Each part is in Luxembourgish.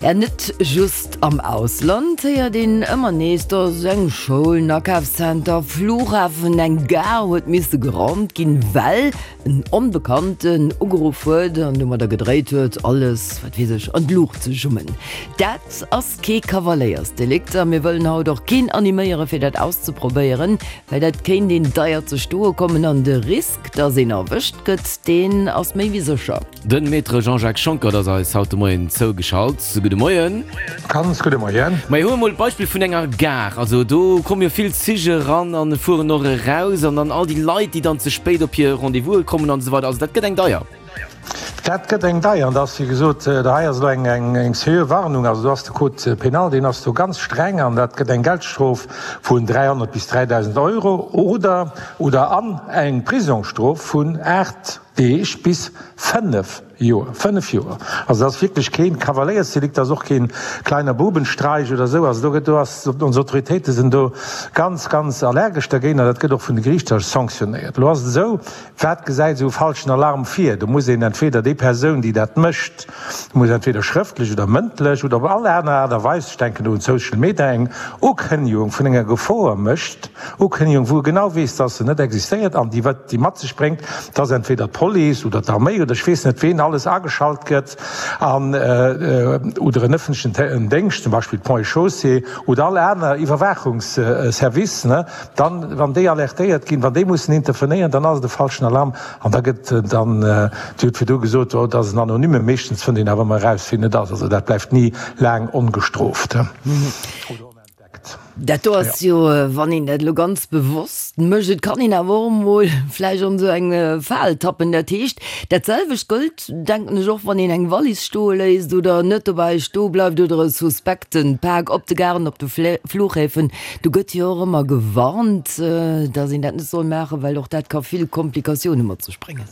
Ja, net just am Ausland héiert een ëmmer nees, dass eng Schoul, en Akafszenter, Flughafen, eng Gare huet misse geraumt ginn, well en Onbekannten ugeruff huet an domadder gedréit huet, alles, wat weess ech, an d'Luucht ze jummen. Dat ass kee Kavaléiersdelikt a mir wëllen haut och keen animéiere fir dat auszeprobéieren, well dat kéint een deier ze stoe kommen an de Risk, dass een erwëscht gëtt, deen ass méi wéi sécher. Den Maître Jean-Jacques Schonckert ass eis haut de Moien zougeschalt. Gudde Moien. Ganz gudde Moien. Majo, huele mol d'Beispill vun enger Gare. Also do komme jo vill Zich eran an fueren och eraus an dann all déi Leit, déi dann ze spéit op hir Rendez-vouse kommen an esou weider. Also dat gëtt eng deier. Dat gëtt eng deier. An da ass, wéi gesot, hei ass elo eng eng seriö Warnung. Also do ass de Code pénal, deen ass do ganz streng an dat gëtt eng Geldstrof vun 300 bis 3.000 Euro oder oder an eng Prisongsstrof vun 8 Deeg bis 5 Joer. 5 Joer! Also dat ass wierklech keen Kavaléiersdelikt, dat ass och keen kleiner Bubenstreich oder esou. Also do gëtt, do ass, ons Autoritéite sinn do ganz, ganz allergesch dergéint an dat gëtt och vun de Geriichter sanctionnéiert. Elo ass et esou, wat gesäit esou e falschen Alarm vir? Do muss een entweder déi Persoun, déi dat mécht, muss entweder schrëftlech oder mëndlech oder op all aner Aart a Weis, ech denken do un Social Media, eng Ukënnegung vun enger Gefor mécht, Ukënnegung, wou e genau weess, dass se net existéiert an déi wat déi mat sech bréngt, dass entweder d'Police oder d'Arméi oder ech weess net ween alles ageschalt gëtt an oder en ëffentlechen Déngscht, zum Beispill d'Ponts et Chaussées oder all aner Iwwerwaachungsservice, ne, dann, wann déi alertéiert ginn, wann déi mussen intervenéieren, dann ass et e falschen Alarm an da gëtt dann, Dir hutt virdu gesot, oh, dat ass en Anonyme, meeschtens fënnt een awer ëmmer eraus, wien et ass, also dat bleift ni laang ongestrooft. Dat do ass jo, wann een dat elo ganz bewosst mécht, et kann een awer och emol vläicht an esou eng Fal tappen. Dat heescht, dat selwecht gëllt, denken ech, och wann een eng Wallis stoe léisst oder net dobäi stoe bleift oder e suspekte Pak op de Garen, op de Flughäfen. Do gëtt jo och ëmmer gewarnt, datt een dat net soll maachen, well och dat ka vill Komplikatioune mat sech bréngen.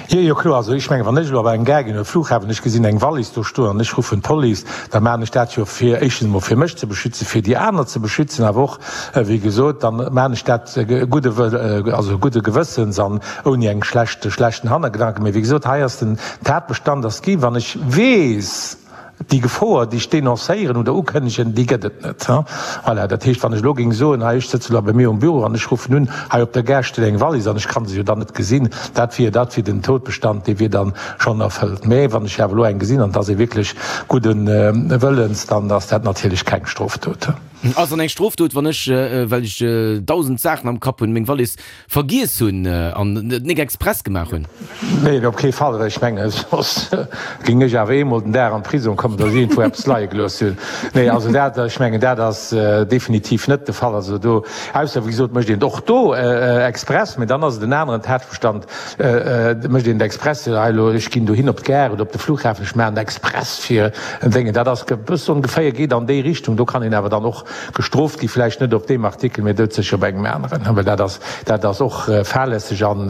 Jo, jo, kloer. Also ech mengen, wann ech elo op eng Gare ginn oder Flughafen, ech gesinn eng Wallis do stoen an ech ruffen d'Police, da maachen ech dat jo fir éischtens emol fir mech ze beschützen, fir déi aner ze beschützen, awer och, wéi gesot, da maachen ech dat gudde Wëll, also gudde Gewëssens an ouni eng schlecht, schlechten Hannergedanken. Mee wéi gesot, hei ass den Tatbestand ass ginn, wann ech weess, Déi Gefor, déi ech denoncéieren oder ukënnegen, déi gëtt et net. Voilà, dat heescht, wann ech elo géing soen, hei, ech sëtze elo bei mir um Büro an ech ruffen un, hei op der Gare steet eng Wallis an ech ka se jo dann net gesinn, dat wier, dat wier den Todbestand, dee wier dann schonn erfëllt. Mä wann ech awer elo eng gesinn an et ass ee wierklech gudde Wëllens, dann ass dat natierlech keng Strofdot. Ass dann eng Strofdot, wann ech, well ech 1.000 Saachen am Kapp hunn, meng Wallis Vergiess hunn an et nik express gemaach hunn. Neen, op kee Fall, well ech mengen, soss géing ech awer eemol den Dag an d'Prisong kommen, datt ech iergendwou eppes leie gelooss hunn. Nee, also dat, ech mengen, dat ass definitiv net de Fall. Also do, ausser, wéi gesot, mécht een et och do express, mä dann ass et en aneren Tatbestand, mécht een et express, hei elo, ech ginn dohin op d'Gare oder op de Flughafen, ech maachen et express fir en Déngen. Dat ass e bësse ongeféier, geet an déi Richtung. Do kann een awer dann och Gestrooft gi vläicht net op deem Artikel, mee doudsécher op engem aneren, well dat ass, dat ass och fahrlässeg an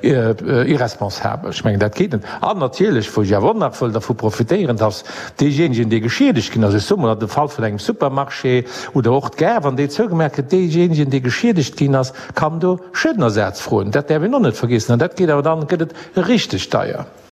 irresponsabel. Ech mengen, dat geet net. An natierlech, wou ech awer och nach wëll dervu profitéieren, dass deejéinegen, dee geschiedegt ginn ass, ech soe mol an dem Fall vun engem Supermarché oder och d'Gare, wann déi zougemaach gëtt, deejéinegen, dee geschiedegt ginn ass, kann do Schuedenersaz froen. Dat däerf een och net vergiessen. An dat geet awer dann, gëtt et richteg deier.